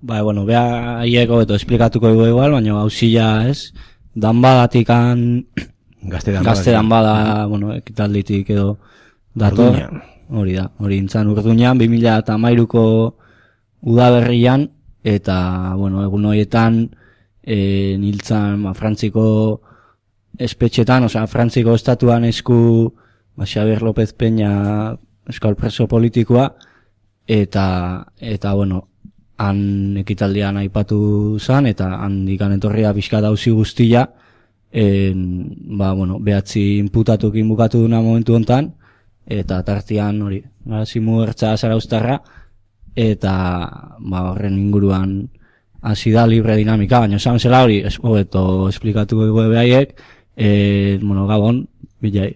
Bueno, bea hieko beto esplikatuko dugu igual, baina hausila ez, danbadatikan, gazte danbada, bueno, ekitalditik edo dator, hori intzan Urduñan, 2013ko udaberrian, eta, bueno, egun horietan, niltzan, Frantziko espetxetan, Frantziko estatuan esku, Xabier López Peña euskal preso politikoa, eta bueno, han ekitaldian aipatu zan, eta handikan etorria pixka dauzi guztia, bueno, 9 inputatukin bukatu duna momentu hontan, eta tartian hori, Garazimu Ertza Zarauztarra, eta horren inguruan hasi da libre dinamika, baina esan zela hori, hobeto esplikatuko dugu behaiek, bueno, Gabon, bilai.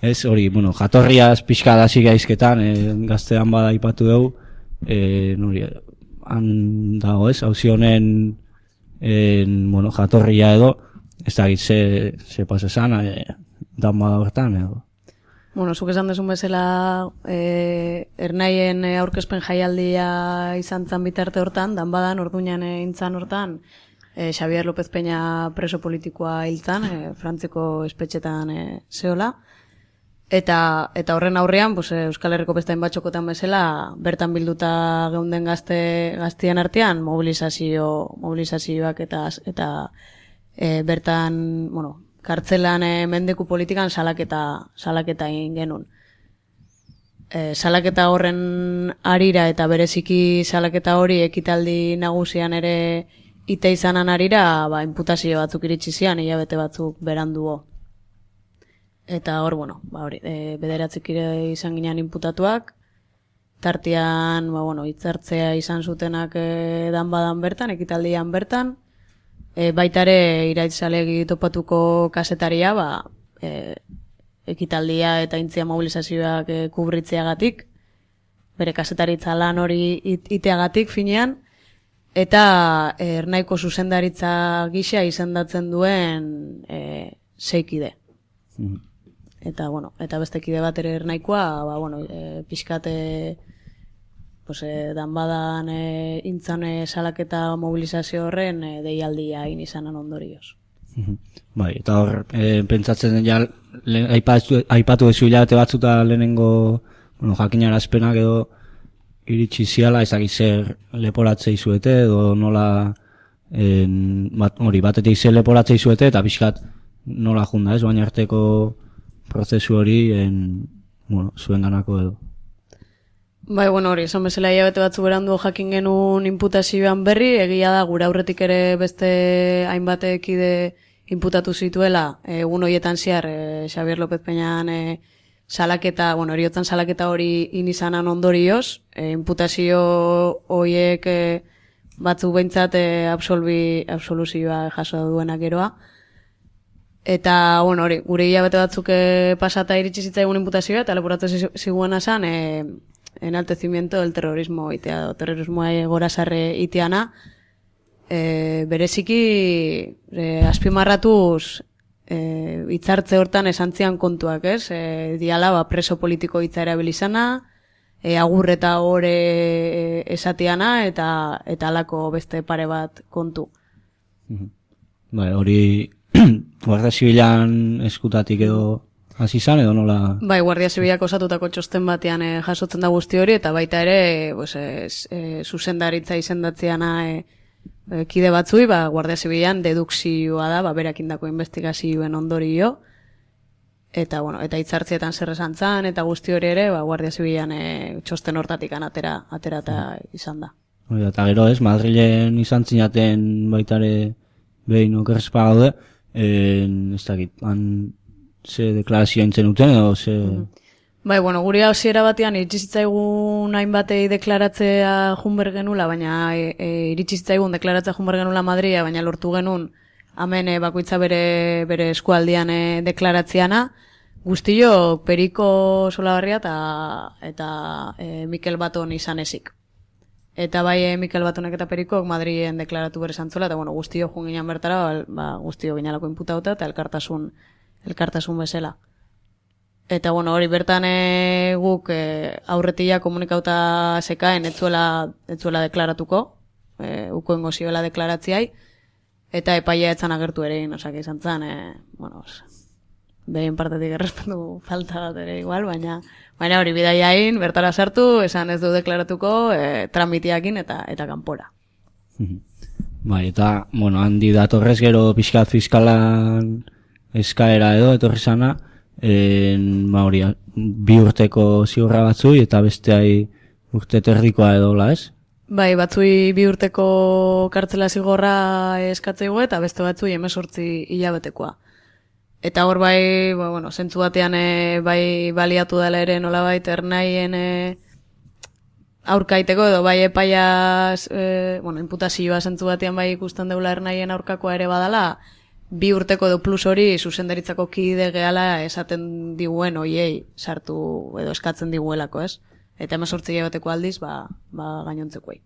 Ez hori, bueno, jatorriaz pixka dasi gaizketan, gaztean bada aipatu dugu, nori, han dago ez, hauzi honen bueno, jatorria edo, ez da ze pasa esan, dan bada horretan edo. Bueno, zuk esan desun bezala ernaien aurkezpen jaialdia izan zan bitarte hortan, dan badan, Orduñan intzan hortan, Xabier López Peña preso politikoa hiltzan, Frantziko espetxetan zehola. Eta horren aurrean, Euskal Herriko beste hainbatxokotan bezala, bertan bilduta geunden gaztien artean, mobilizazioak eta bertan, bueno, kartzelan mendeku politikan salaketa egin genuen. Salaketa horren arira eta bereziki salaketa hori ekitaldi nagusian ere ite izanan arira, inputazio batzuk iritsi zian, hilabete batzuk beranduo. Eta hor, bueno, bederatzik izan ginean inputatuak, tartean, hitzartzea izan zutenak danbadan bertan, ekitaldian bertan, baitare iraitzalegi topatuko kasetaria, ekitaldia eta intzia mobilizazioak kubritzeagatik, bere kasetaritza lan hori iteagatik finean, eta ernaiko zuzendaritza gisa izendatzen duen seikide. Eta, eta beste kide bat ere ernaikoa, pixkate danbadan intzan salaketa mobilizazio horren deialdia egin izanan ondorioz. Eta hor, pentsatzen den aipatu ezu hilabete batzuta lehenengo jakinarazpenak edo iritsi ziala, ezak zer leporatzei zuete edo nola batetik zer leporatzei zuete eta pixkat nola junda ez, baina arteko prozesu hori zuen ganako edo. Hori, esan bezala hilabete batzu berandu jakin genuen inputazioan berri, egia da gure aurretik ere beste hainbatekide inputatu zituela, egun horietan zehar Xabier López Peñan salaketa, heriotzan salaketa hori inizanan ondorioz, inputazio horiek batzuk behintzat absoluzioa jaso duenak geroa. Eta, gure hilabete batzuk pasata iritsi zitzaigun inputazioa, eta leporatu ziguena zan, enaltecimiento del terrorismo itea, terrorismoa gorazarre iteana, bereziki azpimarratuz hitzartze hortan esantzian kontuak, ez? Diala, preso politiko hitza erabilizana, agur eta gore esatiana, eta alako beste pare bat kontu. Hori Guardia Zibilan eskutatik edo hasi izan edo nola? Guardia Zibilak osatutako txosten batean jasotzen da guzti hori, eta baita ere zuzendaritza izendatzeana kide batzui, Guardia Zibilan dedukzioa da, berak indako investigazioen ondorio, eta hitzartzietan zer esan zan, eta guzti hori ere, Guardia Zibilan txosten hortatik atera izan da. Eta gero ez, Madrilen izan zinaten baitare behin okerrespa gaude, ez dakit, ze deklarazioa intzen duten edo ze... Gure hausiera batean iritsi zitzaigun hainbatei deklaratzea junber genula, baina iritsi zitzaigun deklaratzea junber genula Madria, baina lortu genuen hemen bakoitza bere eskualdian deklaratzeana, guztio Periko Solabarria eta Mikel Baton izan ezik. Eta Mikel Batonek eta Perikok Madrien deklaratu bere zantzola, eta guztio joan ginean bertara, guztio ginalako inputauta eta elkartasun bezala. Eta, bueno, hori bertan guk aurretia komunikauta zekaen, etzuela deklaratuko, ukoengo zibela deklaratziai, eta epaia etzan agertu ere, osak izan zen, bueno, behin partetik errespetu falta bat ere igual, baina hori bidaiain, bertara sartu, esan ez du deklaratuko, tramitiakin eta kanpora. Bai, eta, bueno, handi datorrez gero pixkat fiskalan eskaera edo, etorri zana, hori, 2 urteko zigorra batzui, eta besteai urte terdikoa edo, ez? Bai, batzui 2 urteko kartzela zigorra eskatzeigo, eta beste batzui 18 hilabetekoa. Eta hor bai, bueno, zentzu batean bai baliatu dela ere nolabait ernaien aurkaiteko edo bai epaiaz, imputazioa zentzu batean bai ikusten deula ernaien aurkakoa ere badala, 2 urteko edo plus hori zuzendaritzako kide gehala esaten diguen oiei sartu edo eskatzen diguelako, ez? Eta 18 hilabeteko aldiz, gainontzekoei.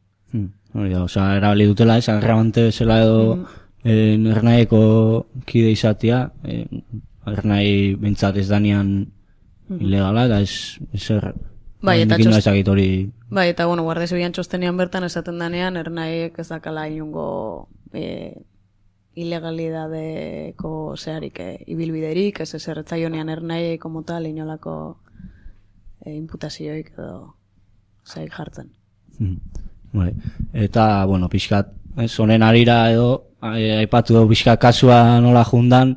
Hori da, erabili dutela, ez, agravante zela edo ernaieko kide izatea, ernai bintzat ez danian ilegala, eta ez Bai, eta bueno, Guardia Zibilan txostenean bertan esaten danean, ernaiek ez dakala inungo ilegalidadeko zeharik ibilbiderik, ez erretzaionean ernaiek como tal, inolako imputazioik edo zaik jartzen. Eta, bueno, pixkat, honen arira edo, aipatu dugu pixkat kasua nola jundan,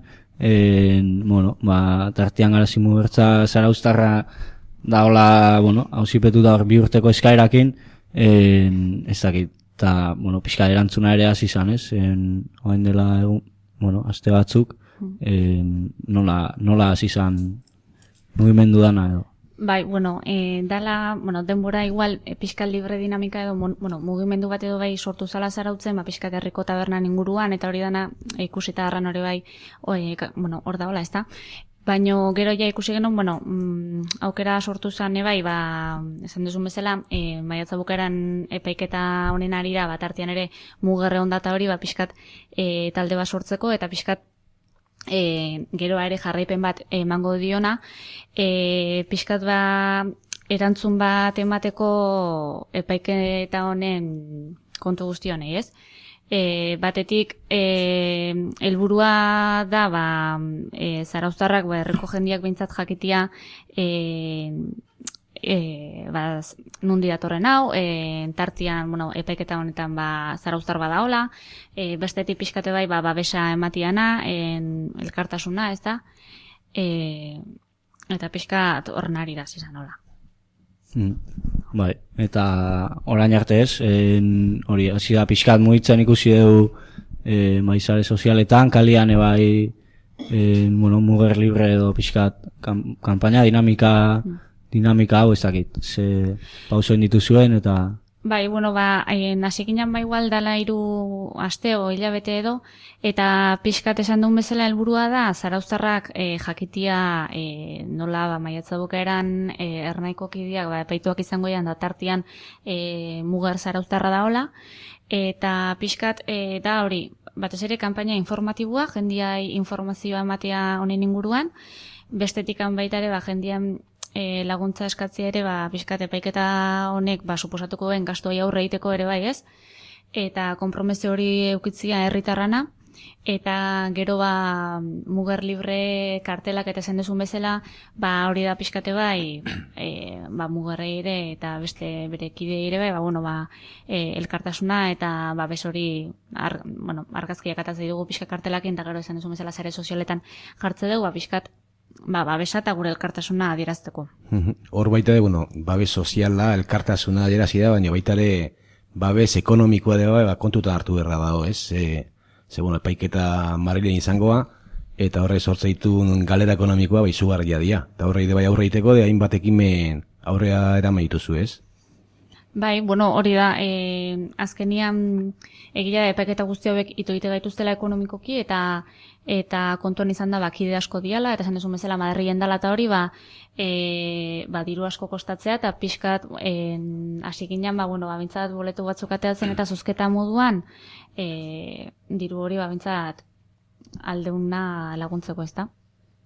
tartian Garazimu Bertza Zarauztarra daola, hausipetu da hor 2 urteko eskaerakin, ez dakit, eta, pixka erantzuna ere hasi izan, ez? Oain dela egun, aste batzuk, nola hasi izan mugimendu dana edo. Bai, dala, denbora igual pixkat libre dinamika edo, mugimendu bat edo bai sortu zala Zarautzen, pixkat herriko tabernan inguruan, eta hori dana ikusita harran hori bai, hor da hola, ez da? Baina gero ja ikusi genuen, aukera sortu zen ebai, esan duzun bezala, maiatza bukaeran epaiketa honen arira, artean ere mugerre ondata hori, pixkat talde bat sortzeko, eta pixkat geroa ere jarraipen bat emango diona, pixkat erantzun bat emateko epaiketa honen kontu guzti honei, ez? Batetik helburua da zarauztarrak herriko jendiak behintzat jakitia nundi datorren hau, tartian epaiketa honetan zarauztar badaola, bestetik pixkate bai babesa ematiana, elkartasuna, ez da, eta pixkat horren arira zizan hola. Bai, eta orain arte ez, hori, hasi da pixkat mugitzen ikusi dugu maizare sozialetan, kalian ebai muger libre edo pixkat kanpaina dinamika hau ez dakit, ze pausoen dituzuen eta... Bai, nasikinan igual dala 3 aste o hilabete edo, eta pixkat esan duen bezala helburua da, zarauztarrak jakitia nola maiatza bukaeran ernaiko kideak epaituak izango da tartian muger zarauztarra daola, eta pixkat da hori, batez ere kanpaina informatiboa, jendiai informazioa ematea honen inguruan, bestetikan baita ere jendian laguntza eskatzea ere, pixkat epaiketa honek suposatuko den gastuai aurre egiteko ere bai, ez? Eta konpromezio hori eukitzia herritarrana, eta gero muger libre kartelak eta esan duzun bezala, hori da pixkate bai, mugerrei ere eta beste bere kidei ere bai, elkartasuna eta bez hori, argazkiak atatzei dugu pixka kartelakin, eta gero esan duzun bezala sare sozialetan jartze dugu, pixkat babesa eta gure elkartasuna adierazteko. Hor baita de, babes soziala, elkartasuna adierazi da, baina baita ere babes ekonomikoa da, kontutan hartu berra dago, ez? Epaiketa Madrilen izangoa, eta horre sortzeitu galera ekonomikoa izugarria dira. Eta horre aurre iteko, hainbat ekimen aurrea eraman dituzu, ez? Bai, hori da, azkenian egia da epaiketa guzti hauek ito egite gaituztela ekonomikoki, eta kontuan izan da kide asko diala, eta esan duzun bezala Madrilen dala eta hori, diru asko kostatzea, eta pixkat hasikinan, bintzat boletu batzuk ateatzen eta zozketa moduan, diru hori bintzat aldeuna laguntzeko, ez da?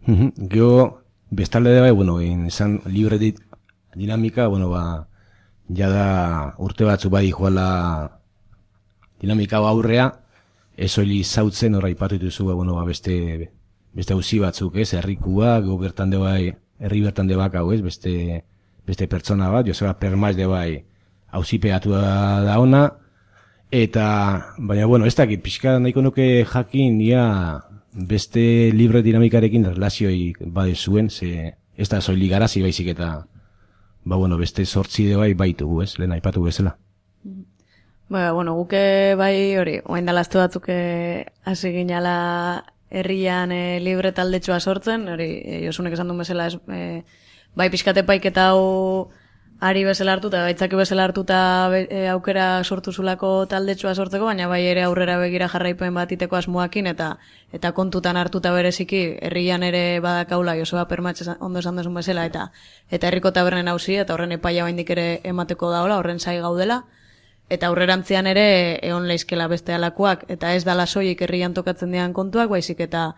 Gero, bestalde bai, bueno, izan libre dinamika, bueno, jada urte batzu bai joala dinamika aurrea, ez hori zautzen hor aipatu dituzu, bueno, beste auzi batzuk, ez, herrikuak, bertan de bai, herri bertan de bak hau, ez, beste pertsona bat, Joseba Permaz de bai, auzipeatu da ona, eta, baina, bueno, ez dakit, pixka nahiko nuke jakin, beste libre dinamikarekin relazioi bade zuen, ze ez da soilik garazi baizik eta, bueno, beste sortzi de bai baitugu, ez, lehen aipatu bezala. Bueno, guke bai hori, oain dalazte batzuk hasi ginala herrian libre taldetxoa sortzen, hori Josunek esan duen bezala, bai pixkate paiketa hau ari bezala hartuta, baitzaki bezala hartuta aukera sortu zulako taldetxoa sortzeko, baina bai ere aurrera begira jarraipen bat iteko asmoakin, eta kontutan hartuta bereziki, herrian ere badakaula Joseba Permatx ondo esan duzun bezala, eta herriko tabernen hauzi, eta horren epaia baindik ere emateko daola, horren zai gaudela, eta aurrerantzean ere egon leizkela beste alakoak, eta ez dala soilik herrian tokatzen dian kontuak, baizik eta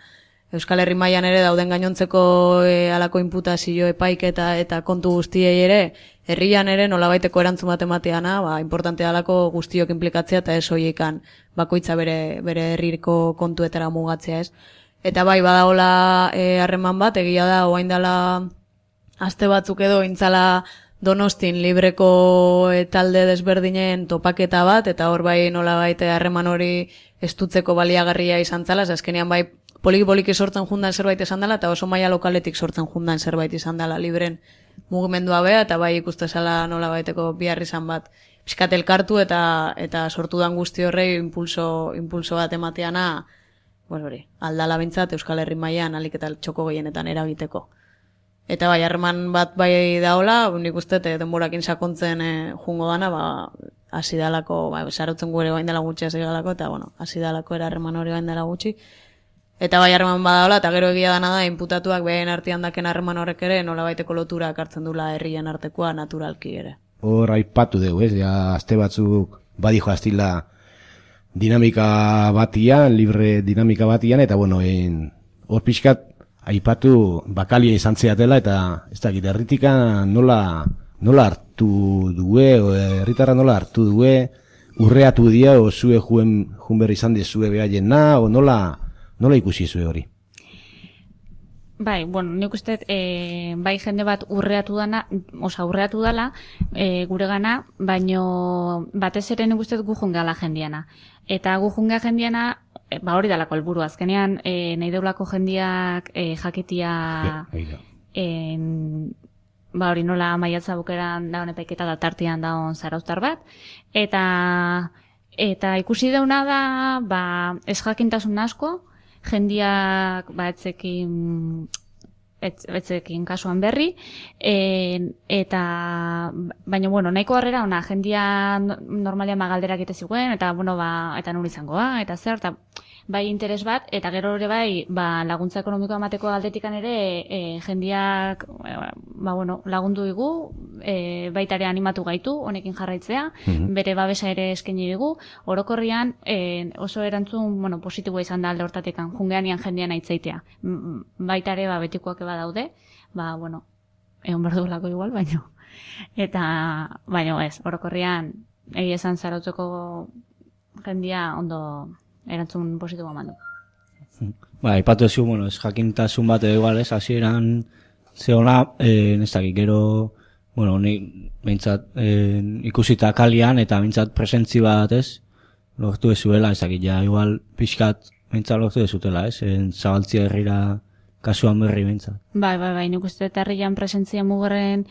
Euskal Herri mailan ere dauden gainontzeko alako inputazio epaik eta kontu guztiei ere, herrian ere nolabaiteko erantzun bat emateana, importantea alako guztiok inplikatzea eta ez soilekan bakoitza bere herriko kontuetara mugatzea, ez. Eta bai badagola harreman bat, egia da orain dela aste batzuk edo intzala Donostin libreko talde desberdinen topaketa bat, eta hor bai nolabait harreman hori estutzeko baliagarria izan zala, azkenean bai poliki sortzen jundan zerbait izan dela, eta oso maila lokaletik sortzen jundan zerbait izan dela libren mugimendua bea, eta bai ikuste zala nolabaiteko bihar izan bat pixkat elkartu eta sortu dan guzti horrei impulso bat emateana, hori, aldala bintzat Euskal Herri mailan alik eta txoko gehienetan eragiteko. Eta bai, harreman bat bai daola, nik uste denborakin sakontzen jungo dana, hasi dalako, sarotzen gure bain dela gutxi hasi galako, eta hasi dalako harreman hori bain dela gutxi. Eta bai harreman badaola, eta gero egia dana da, inputatuak behen artean daken harreman horrek ere, nolabaiteko lotura hartzen dula herrien artekoa naturalki ere. Hor aipatu dugu, ez, aste batzuk badijo astila dinamika batian, libre dinamika batian, eta hor pixkat aipatu bakalia izan zeatela, eta ez dakit, herritika nola hartu due, herritarra nola hartu due, urreatu dia, o zue juen berri izan dezue behaiena, o nola ikusi zue hori? Bai, nik uste, bai jende bat urreatu dala, gure gana, baino batez ere nik uste gu jungala jendiana. Eta gu junga jendiana, hori dalako helburu azkenean, nahi deulako jendiak jakitia, hori nola maiatza bukeran daun epaiketa da tartian daun zarauztar bat, eta ikusi deuna da, ez jakintasun asko, jendiak etzekin kasuan berri, baina, nahiko harrera, jendia normalian galderak ite ziguen, eta, eta nur izangoa, eta zer, eta bai interes bat, eta gero ere bai, laguntza ekonomikoa emateko aldetikan ere, jendiak, lagundu digu, baitare animatu gaitu, honekin jarraitzea, bere babesa ere eskaini digu, orokorrian oso erantzun, positiboa izan da alde hortatekan, jungeanian jendean aitzaitea. Baitare, betikoak eba daude, egon berdulako igual, baino. Eta, ez, orokorrian, egia esan zarautzeko jendia ondo erantzun positiboa mandu. Aipatu ezu, ez jakintasun bat edo igual, ez, hasieran zeona, ez dakik, gero, nik behintzat ikusita kalian eta behintzat presentzi bat, ez, lortu ezuela, ez dakik, igual pixkat behintzat lortu ezutela, ez, zabaltzia herrira kasuan berri behintzat. Bai, nik uste eta herrian presentzia mugerren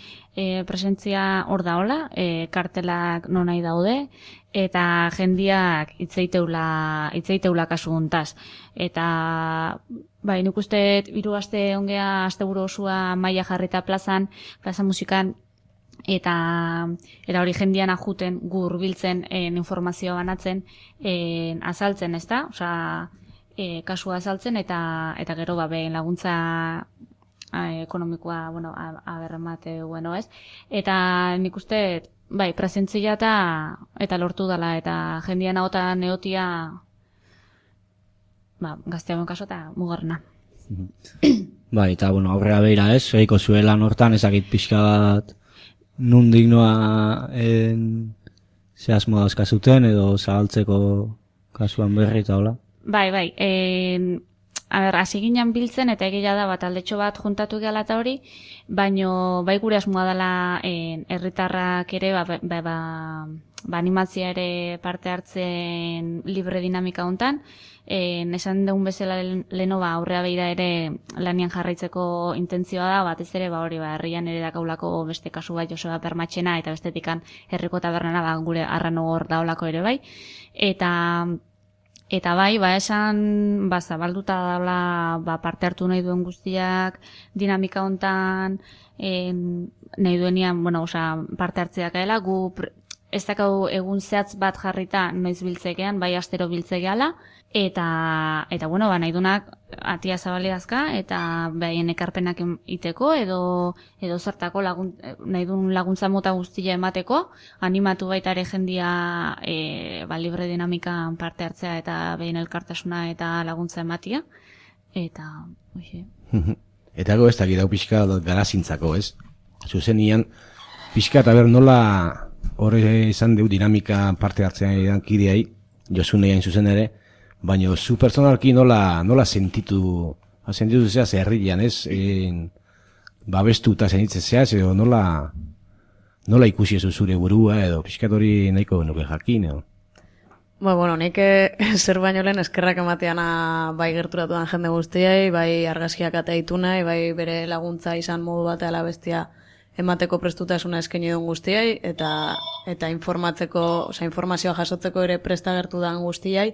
presentzia hor daola, kartelak non nahi daude, eta jendiak itzeiteula kasu hontaz. Eta, nik uste 3 aste ongea asteburu osua maila jarrita plaza musikan, eta hori jendian ajuten, gu hurbiltzen informazioa banatzen, azaltzen, ez da? Osa, kasua azaltzen, eta gero behen laguntza ekonomikoa, aberramate, ez? Eta nik uste, presentzia eta lortu dela, eta jendian ahotan neotia, gazteagoen kaso eta mugarrena. Bai, eta, bueno, aurrera beira ez, egiko zuela hortan ezakit pixka bat nundik noa ze asmo dauzkazuten edo zabaltzeko kasuan berri eta hola. Bai, hasi ginen biltzen eta egia da bat aldetxo bat juntatu gehala eta hori, baino bai gure asmoa dela herritarrak ere animatzia ere parte hartzen libre dinamika hontan. Esan dugun bezala leno aurrea beira ere lanian jarraitzeko intentzioa da, batez ere herrian ere dakaulako beste kasu bai Joseba Permatxena eta bestetikan herriko tabernara gure arranogor daolako ere bai. Eta bai, esan zabalduta daula parte hartu nahi duen guztiak dinamika hontan, nahi duenian, parte hartzeak gaela, gu ez dakau egun zehatz bat jarrita noiz biltzekean, bai astero biltzekeala, eta nahi duenak atia zabaliazka, eta behaien ekarpenak iteko, edo zertako nahi duen laguntza mota guztia emateko, animatu baita ere jendia libre dinamikan parte hartzea eta behin elkartasuna eta laguntza ematia, eta hoxe. Eta ez dakit hau pixka garazintzako, ez? Zuzenian, pixka eta nola horre izan deu dinamika parte hartzean edan kideai, Josunean zuzen ere, baina zu personalki nola sentitu zeaz herrian, ez? Babestu eta sentitzen zeaz, edo nola ikusi ez zure burua, edo pixkat hori nahiko nuke jakin, edo? Nik zer baino lehen eskerrak emateana bai gerturatuan jende guztiai, bai argazkiak ateitu nahi, bai bere laguntza izan modu bat ala bestia emateko prestutasuna eskaini duen guztiai, eta informazioa jasotzeko ere prestagertu dan guztiai.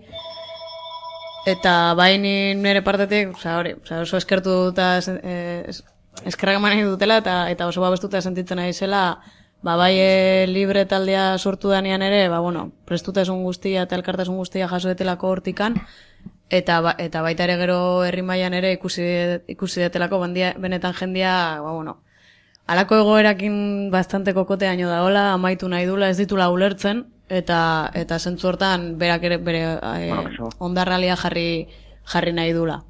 Eta bai nire partetik, oso eskertu eta eskerrak eman nahi dutela, eta oso babestuta sentitzen nahi zela, bai libre taldea sortu danean ere, prestutasun guztia eta elkartasun guztia jasoetelako hortikan, eta baita ere gero herri mailan ere ikusi detelako benetan jendia, halako egoerakin bastante kokoteaino daola, amaitu nahi dula, ez ditula ulertzen, eta zentzu hortan berak ere bere ondarralia jarri nahi dula.